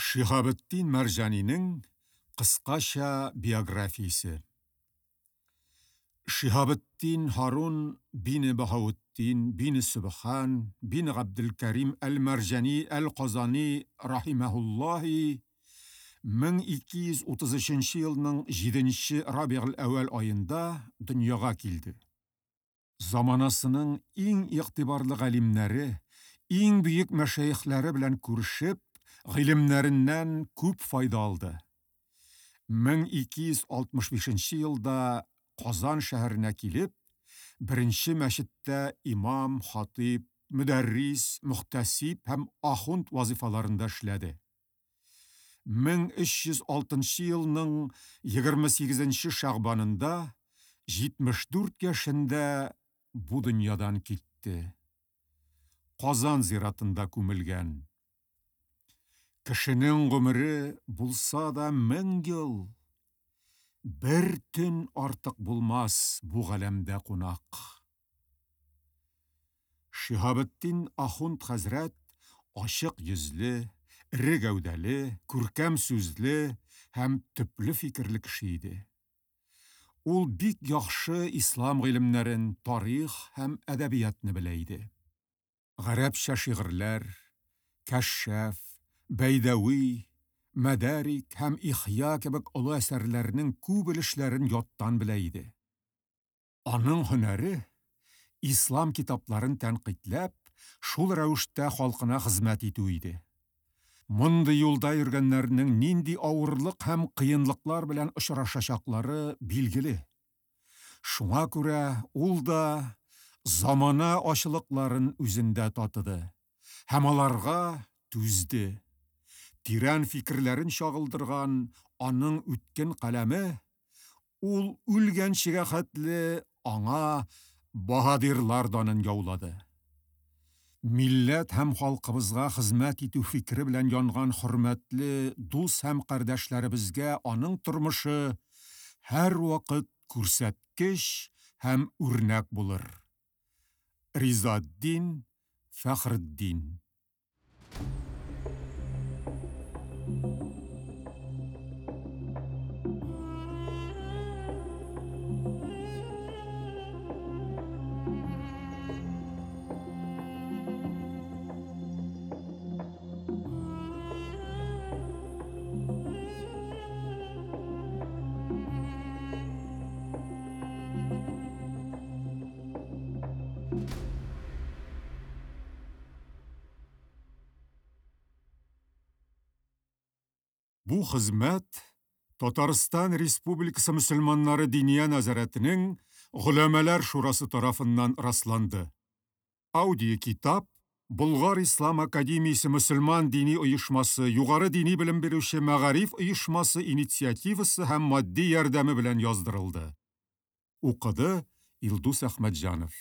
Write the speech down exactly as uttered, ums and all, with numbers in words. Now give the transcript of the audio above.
Шиһабетдин Мәрҗанинең кыскача биографиясе. Шиһабетдин Һарун бине Баһаветдин бине Сөбхан бине Габделкәрим әл-Мәрҗани әл-Казани рахимаһуллаһи мең ике йөз утыз өченче елның җиденче Рабигъл әүвәл аенда дөньяга килде. Заманасының иң игътибарлы галимнәре, иң бөек мәшәехләре белән күрешеп, гыйлемнәреннән күп файда алды. мең ике йөз алтмыш бишенче елда Казан шәһәренә килеп, беренче мәчеттә имам, хатиб, мөдәррис, мөхтәсиб һәм ахунд вазифаларында эшләде. мең өч йөз алтынчы елның егерме сигезенче шәгъбанында җитмеш дүрт яшендә бу дөньядан китте. Казан зиратында күмелгән. Кешенең гомере булса да мең ел, бер төн артык булмас бу галәмдә кунак. Шиһабетдин ахунд хәзрәт ачык йөзле, эре гәүдәле, күркәм сүзле һәм төпле фикерле кеше иде. Ул бик яхшы ислам гыйлемнәрен, тарих һәм әдәбиятны белә иде. Гарәпчә шигырьләр, Кәшшаф, Бәйдәви, Мәдәрик һәм Ихья кебек олы әсәрләрнең күп өлешләрен яттан белә иде. Аның һөнәре ислам китапларын тәнкыйтьләп, шул рәвештә халкына хезмәт итү иде. Мондый юлда йөргәннәрнең нинди авырлык һәм кыенлыклар белән очрашачаклары билгеле. Шуңа күрә ул да замана ачылыкларын үзендә татыды һәм аларга түзде. Тирән фикерләрен чагылдырган аның үткен каләме ул үлгәнчегә хәтле аңа баһадирлар данын яулады. Милләт һәм халкыбызга хезмәт итү фикере белән янган хөрмәтле дус һәм кардәшләребезгә аның тормышы һәр вакыт күрсәткеч һәм үрнәк булыр. Ризаддин Фәхретдин. Бу хезмәт Татарстан Республикасы мөселманнары Диния нәзарәтенең Голәмәләр шурасы тарафыннан расланды. Аудиокитап Болгар Ислам академиясе мөселман дини оешмасы югары дини белем бирүче мәгариф оешмасы инициативасы һәм матди ярдәме белән яздырылды. Укыды Илдус Әхмәтҗанов.